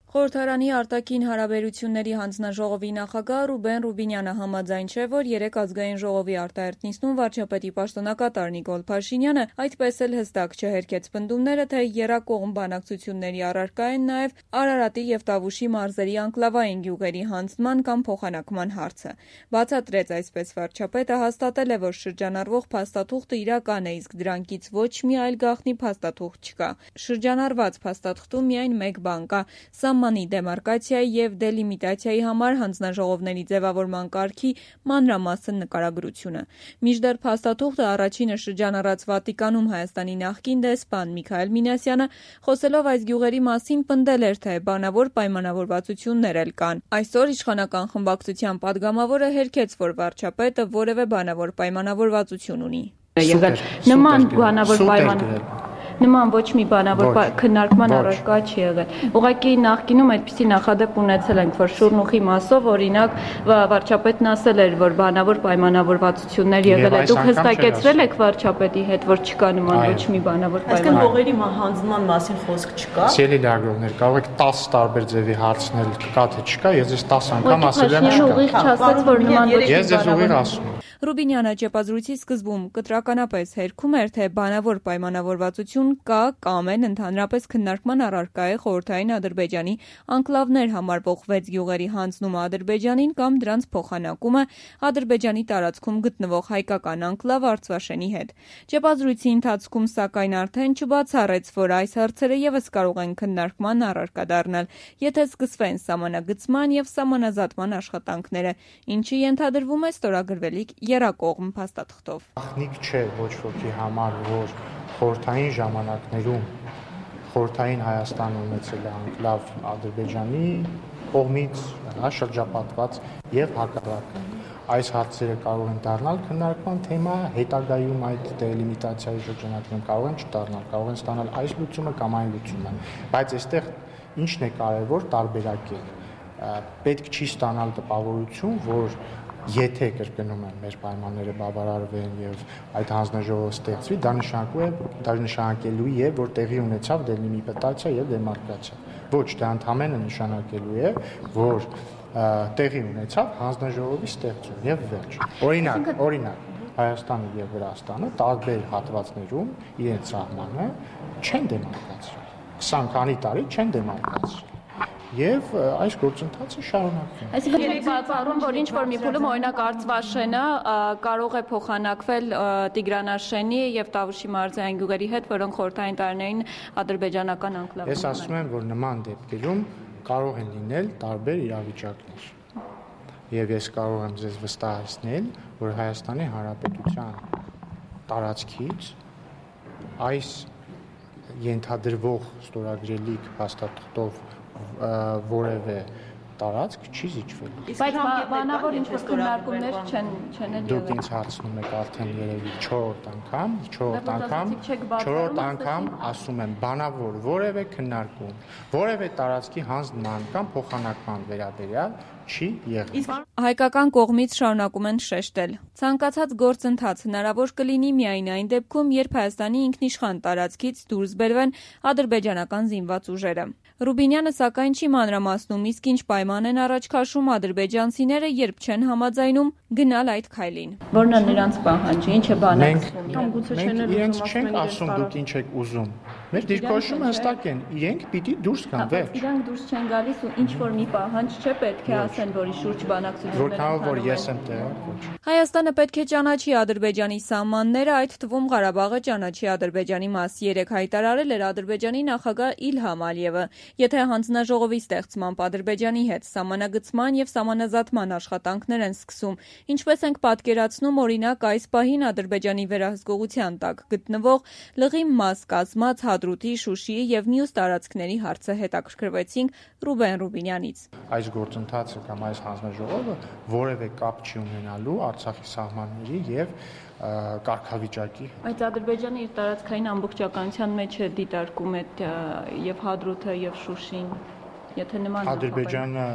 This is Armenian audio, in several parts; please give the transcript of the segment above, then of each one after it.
Խորհրդարանի արտաքին հարաբերությունների հանձնաժողովի նախագահ Ռուբեն Ռուբինյանը համաձայն չէ, որ 3 ազգային ժողովի արտահերթ նիստում վարչապետի պաշտոնակատար Նիկոլ Փաշինյանը այդպես էլ հստակ չհերքեց պնդումները, թե եռակողմ բանակցությունների առարկա են նաև Արարատի և Տավուշի մարզերի անկլավային գյուղերի հանձնման կամ փոխանակման հարցը։ Բացատրեց այսպես վարչապետը, հաստատել է, որ շրջանառվող փաստաթուղթը իրական է, իսկ դրանքից ոչ մի այլ գաղտնի փաստաթուղթ չկա։ Շրջանառված փաստաթղթում միայն մեկ բան կա՝ սահմանի դեմարկացիայի և դելիմիտացիայի համար հանձնաժողովների ձևավորման կարգի մանրամասն նկարագրությունը։ Մինչդեռ փաստաթուղթը առաջինը շրջանառած Վատիկանում Հայաստանի նախկին դեսպան Միքայել Մինասյանը, խոսելով այս գյուղերի մասին, պնդել էր, թե բանավոր պայմանավորվածություններ էլ կան։ Այսօր իշխանական խմբակցության падգամավորը հերքեց, որ վարչապետը որևէ բանավոր պայմանավորվածություն ունի։ Նման ոչ մի բանավոր քննարկման առարկա չի եղել։ Ուղղակի նախկինում այդպիսի նախադեպ ունեցել ենք, որ շուրնուխի մասով օրինակ վարչապետն ասել էր, որ բանավոր պայմանավորվածություններ եղել է։ Դուք հստակեցրել եք վարչապետի հետ, որ չկա նման ոչ մի բանավոր պայմանավորվածություն։ Այսինքն հողերի հանձնման մասին խոսք չկա։ Սիրելի լրագրողներ, կարող եք 10 տարբեր ձևի հարցնել, կա թե չկա, ես 10 անգամ ասել եմ չկա։ Ուղիղ չասաց, որ նման ոչ մի Ես ձեզ ուղիղ ասում եմ։ Ռուբինյանը ճեպազրույցի սկզբում կտրականապես հերքում էր, թե բանավոր պայմանավորվածություն կա կամ էլ ընդհանրապես քննարկման առարկա է խորհրդային Ադրբեջանի անկլավներ համարվող 6 գյուղերի հանձնումը Ադրբեջանին կամ դրանց փոխանակումը Ադրբեջանի տարածքում գտնվող հայկական անկլավ Արցվաշենի հետ։ Ճեպազրույցի ընթացքում սակայն արդեն չբացառեց, որ այս հարցերը ևս կարող են քննարկման առարկա դառնալ, եթե սկսվեն սահմանագծման և սահմանազատման աշխատանքները, ինչը ենթադրվում է ստորագրվելիք եռակողմ փաստաթղթով։ Ախնիկ չէ ոչ ոքի համար, որ խորհրդային ժամանակներում խորհրդային Հայաստանը ունեցել է անկլավ Ադրբեջանի կողմից շրջապատված եւ հակառակը։ Այս հարցերը կարող են դառնալ քննարկման թեմա, հետագայում այդ դելիմիտացիայի շրջանակներում կարող են չդառնալ, կարող են ստանալ այս լուծումը կամ այն լուծումը, բայց այստեղ ինչն է կարևոր տարբերակել։ Պետք չի ստանալ տպավորություն, որ եթե կրկնում եմ մեր պայմանները բավարարվեն եւ այդ հանձնաժողովը ստեղծվի, դա նշանակելու է, որ տեղի ունեցավ դելիմիտացիա եւ դեմարկացիա։ Ոչ, դա ընդհանրապես նշանակելու է, որ տեղի ունեցավ հանձնաժողովի ստեղծում եւ վերջ։ Օրինակ, Հայաստանը եւ Վրաստանը տարբեր հատվածներում իրենց սահմանը չեն դեմարկացրել։ 20 քանի տարի չեն դեմարկացրել։ Եվ այս գործընթացը շարունակվում է։ Այսինքն եք բացառում, որ ինչ-որ մի փուլում օրինակ Արցվաշենը կարող է փոխանակվել Տիգրանաշենի եւ Տավուշի մարզային գյուղերի հետ, որոնք խորհրդային տարիներին ադրբեջանական անկլավ են։ Ես ասում եմ, որ նման դեպքերում կարող են լինել տարբեր իրավիճակներ։ Եվ ես կարող եմ ձեզ վստահեցնել, որ Հայաստանի Հանրապետության տարածքից այս ենթադրվող ստորագրելիք փաստաթղթով որևէ տարածք չի զիջվել։ Բայց բանավոր ինչ-որ քննարկումներ չեն եղել։ Դուք ինձ հարցնում եք արդեն երևի 4 անգամ ասում եմ բանավոր որևէ քննարկում, որևէ տարածքի հանձնման կամ փոխանակման վերաբերյալ չի եղել։ Հայկական կողմից շարունակում են շեշտել. ցանկացած գործընթաց հնարավոր կլինի միայն այն դեպքում, երբ Հայաստանի ինքնիշխան տարածքից դուրս բերվեն ադրբեջանական զինված ուժերը։ Ռուբինյանը սակայն չի մանրամասնում, իսկ ինչ պայման են առաջ քաշում ադրբեջանցիները, երբ չեն համաձայնում գնալ այդ քայլին։ Որն է նրանց պահանջը, ինչ է բանակցվում։ Մենք իրենց չենք ասում դուք ինչ եք ուզում։ Մեր դիրքորոշումը հստակ են, իրենք պիտի դուրս գան, վերջ։ Իրանք դուրս չեն գալիս ու ինչ որ մի պահանջ չէ, պետք է ասեն, որի շուրջ բանակցություններ են։ Որքանով որ ես եմ տեղը, ոչ։ Հայաստանը պետք է ճանաչի Ադրբեջանի սահմանները, այդ թվում Ղարաբաղը ճանաչի Ադրբեջանի մաս 3 հայտարարել էր Ադրբեջանի նախագահ Իլհամ Ալիևը։ Եթե հանձնաժողովի ստեղծմամբ Ադրբեջանի հետ սահմանագծման եւ սահմանազատման աշխատանքներ են սկսում, ինչպես ենք պատկերացնում, օրինակ այս պահին Ադրբեջանի վերահսկողության տակ գտնվող Լղի մաս կազմած Հադրութի, Շուշիի եւ մյուս տարածքների հարցը հետաքրքրվեցինք Ռուբեն Ռուբինյանից։ Այս գործընթացը կամ այս հանձնաժողովը որևէ կապ չի ունենալու Արցախի սահմանների եւ կարգավիճակի։ Բայց Ադրբեջանը իր տարածքային ամբողջականության մեջ է դիտարկում այդ եւ Հադրութը եւ Շուշին, եթե նման Ադրբեջանը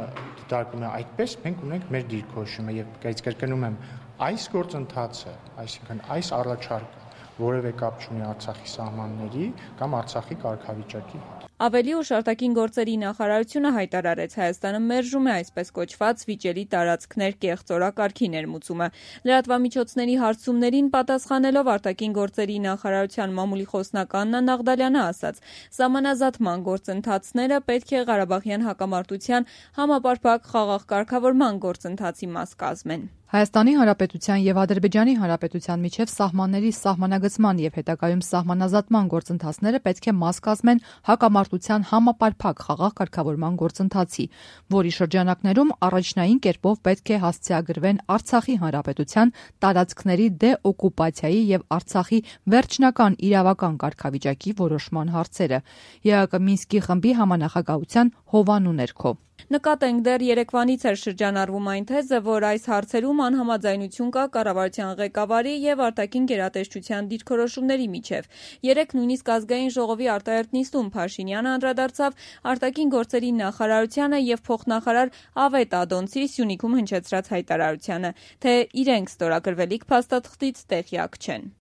դիտարկում է այդպես, մենք ունենք մեր դիրքորոշումը եւ կրկնում եմ, այս գործընթացը, այսինքն այս առաջարկը որևէ կապ չունի Արցախի սահմանների կամ Արցախի կարգավիճակի հետ։ Ավելի ուշ արտաքին գործերի նախարարությունը հայտարարեց Հայաստանը մերժում է այսպես կոչված վիճելի տարածքներ կեղծ օրակարգի ներմուծումը։ Լրատվամիջոցների հարցումներին պատասխանելով արտաքին գործերի նախարարության մամուլի խոսնակ Աննա Նաղդալյանը ասաց. «Սահմանազատման գործընթացները պետք է Ղարաբաղյան հակամարտության համապարփակ խաղաղ կարգավորման գործընթացի մաս կազմեն»։ Հայաստանի Հանրապետության եւ Ադրբեջանի Հանրապետության միջև սահմանների սահմանագծման եւ հետագայում սահմանազատման գործընթացները պետք է մաս կազմեն հակամարտության համապարփակ խաղաղ կարգավորման գործընթացի, որի շրջանակներում առաջնային կերպով պետք է հասցեագրվեն Արցախի Հանրապետության տարածքների դեօկուպացիայի եւ Արցախի վերջնական իրավական կարգավիճակի որոշման հարցերը։ ԵԱԿ Մինսկի խմբի համանախագահության հովանու ներքո։ Նկատենք դեռ երեկվանից էր շրջանառվում այն թեզը, որ այս հարցերում անհամաձայնություն կա կառավարության ղեկավարի եւ արտաքին գերատեսչության դիրքորոշումների միջև։ Երեկ նույնիսկ ազգային ժողովի արտահերթ նիստում Փաշինյանը անդրադարձավ արտաքին գործերի նախարարությանը եւ փոխնախարար Ավետ Ադոնցի Սյունիքում հնչեցրած հայտարարությանը, թե իրենք ստորագրվելիք փաստաթղթից տեղյակ չեն։